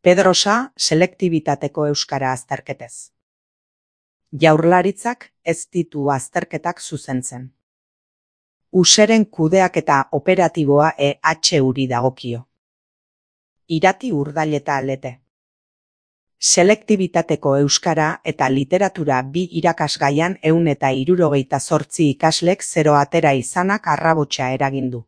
Pedrosa selektibitateko euskara azterketez. Jaurlaritzak ez ditu azterketak zuzentzen. Useren kudeaketa operatiboa EHUri dagokio. Irati Urdaileta Lete. Selektibitateko euskara eta literatura bi irakasgaian 168 ikaslek 0 atera izanak arrabotsa eragin du.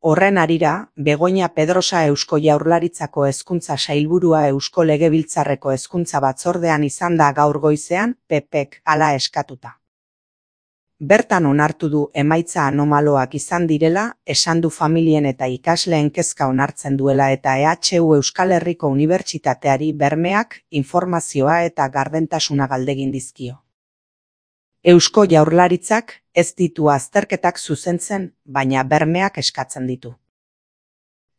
Horren harira, Begoña Pedrosa Eusko Jaurlaritzako Hezkuntza Sailburua Eusko Legebiltzarreko Hezkuntza Batzordean izan da gaur goizean, PPek hala eskatuta. Bertan onartu du emaitza anomaloak izan direla, esan du familien eta ikasleen kezka onartzen duela eta EHU Euskal Herriko Unibertsitateari bermeak, informazioa eta gardentasuna galdegin dizkio. Eusko Jaurlaritzak ez ditu azterketak zuzentzen, baina bermeak eskatzen ditu.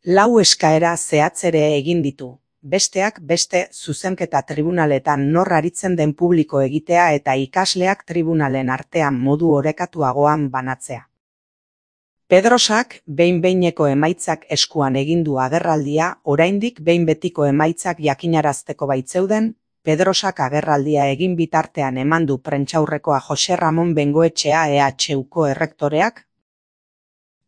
4 eskaera zehatz ere egin ditu, besteak beste zuzenketa tribunaletan nor aritzen den publiko egitea eta ikasleak tribunalen artean modu orekatuagoan banatzea. Pedrosak behin-behineko emaitzak eskuan egin du agerraldia, oraindik behin betiko emaitzak jakinarazteko baitzeuden, Pedrosak agerraldia egin bitartean eman du prentsaurrekoa Jose Ramon Bengoetxea EHUko errektoreak.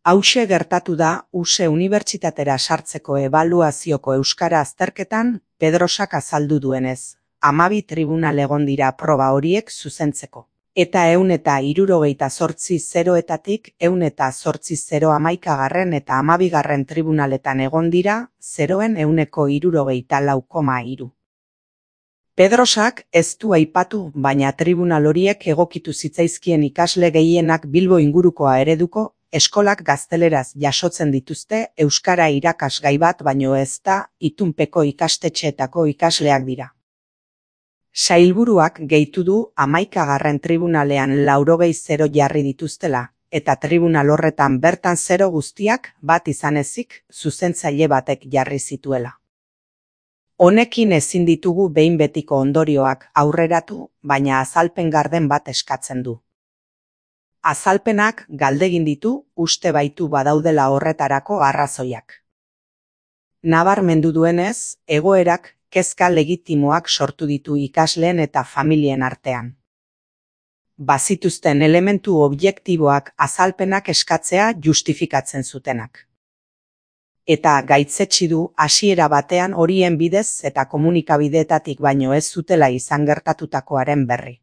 Hauxe gertatu da USE Unibertsitatera sartzeko ebaluazioko euskara azterketan, Pedrosak azaldu duenez. 12 tribunal egon dira proba horiek zuzentzeko. Eta 168 zeroetatik 108 11. eta 12. tribunaletan egon dira, zeroen 164,3. Pedrosak ez du aipatu, baina tribunal horiek egokitu zitzaizkien ikasle gehienak Bilbo ingurukoa ereduko, eskolak gazteleraz jasotzen dituzte euskara irakasgai bat baino ez da, itunpeko ikastetxeetako ikasleak dira. Sailburuak gehitu du 11. tribunalean 80 jarri dituztela, eta tribunal horretan bertan 0 guztiak bat izan ezik, zuzentzaile batek jarri zituela. Honekin ezin ditugu behin betiko ondorioak aurreratu, baina azalpen garden bat eskatzen du. Azalpenak galdegin ditu, uste baitu badaudela horretarako arrazoiak. Nabarmendu duenez, egoerak kezka legitimoak sortu ditu ikasleen eta familien artean. Bazituzten elementu objektiboak azalpenak eskatzea justifikatzen zutenak. Eta gaitzetsi du hasiera batean horien bidez eta komunikabideetatik baino ez zutela izan gertatutakoaren berri.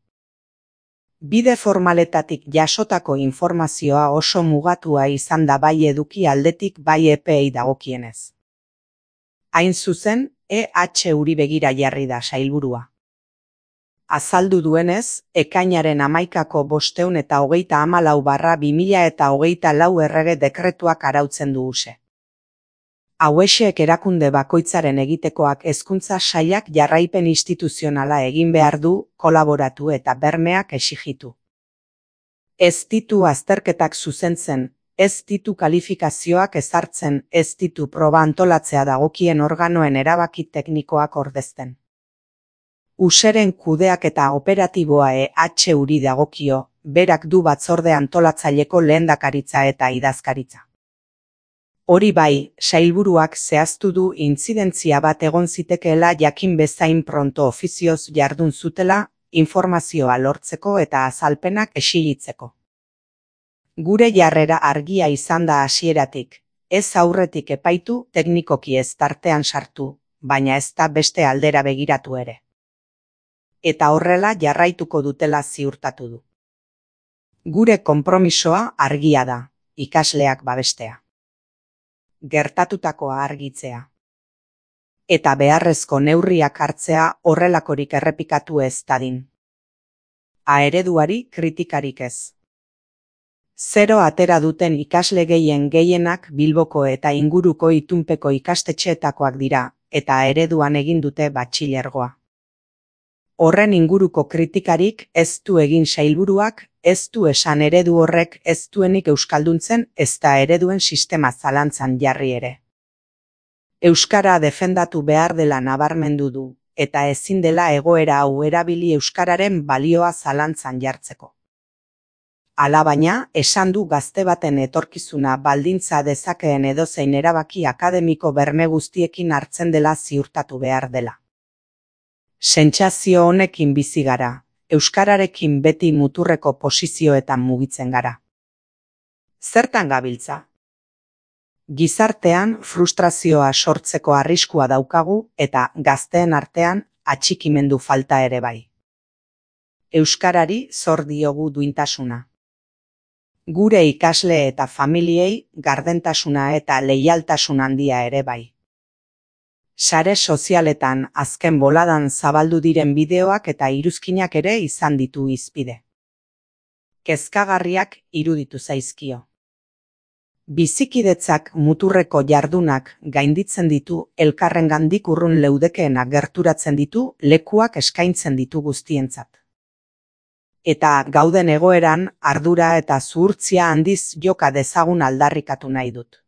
Bide formaletatik jasotako informazioa oso mugatua izan da bai eduki aldetik bai epeei dagokienez. Hain zuzen, EHUri begira jarri da sailburua. Azaldu duenez, ekainaren 11ko 534/2024 errege dekretuak arautzen du USE. Hauexek erakunde bakoitzaren egitekoak hezkuntza sailak jarraipen instituzionala egin behar du, kolaboratu eta bermeak exigitu. Ez ditu azterketak zuzentzen, ez ditu kalifikazioak ezartzen, ez ditu proba antolatzea dagokien organoen erabaki teknikoak ordezten. Useren kudeaketa operatiboa EHUri dagokio, berak du batzorde antolatzaileko lehendakaritza eta idazkaritza. Hori bai, sailburuak zehaztu du intzidentzia bat egon zitekeela jakin bezain pronto ofizioz jardun zutela, informazioa lortzeko eta azalpenak exilitzeko. Gure jarrera argia izan da hasieratik, ez aurretik epaitu, teknikoki ez tartean sartu, baina ez da beste aldera begiratu ere. Eta horrela jarraituko dutela ziurtatu du. Gure konpromisoa argia da, ikasleak babestea. Gertatutakoa argitzea. Eta beharrezko neurriak hartzea horrelakorik errepikatu ez dadin. Ereduari kritikarik ez. 0 atera duten ikasle gehienak Bilboko eta inguruko itunpeko ikastetxeetakoak dira, eta ereduan egin dute batxilergoa. Horren inguruko kritikarik ez du egin sailburuak, ez du esan eredu horrek ez duenik euskalduntzen ez da ereduen sistema zalantzan jarri ere. Euskara defendatu behar dela nabarmendu du, eta ezin dela egoera hau erabili euskararen balioa zalantzan jartzeko. Alabaina, esan du gazte baten etorkizuna baldintza dezakeen edozein erabaki akademiko berme guztiekin hartzen dela ziurtatu behar dela. Sentsazio honekin bizi gara, euskararekin beti muturreko posizioetan mugitzen gara. Zertan gabiltza? Gizartean frustrazioa sortzeko arriskua daukagu eta gazteen artean atxikimendu falta ere bai. Euskarari zor diogu duintasuna. Gure ikasle eta familiei gardentasuna eta leialtasun handia ere bai. Sare sozialetan azken boladan zabaldu diren bideoak eta iruzkinak ere izan ditu hizpide. Kezkagarriak iruditu zaizkio. Bizikidetzak muturreko jardunak gainditzen ditu, elkarrengandik urrun leudekeenak gerturatzen ditu, lekuak eskaintzen ditu guztientzat. Eta gauden egoeran ardura eta zuhurtzia handiz joka dezagun aldarrikatu nahi dut.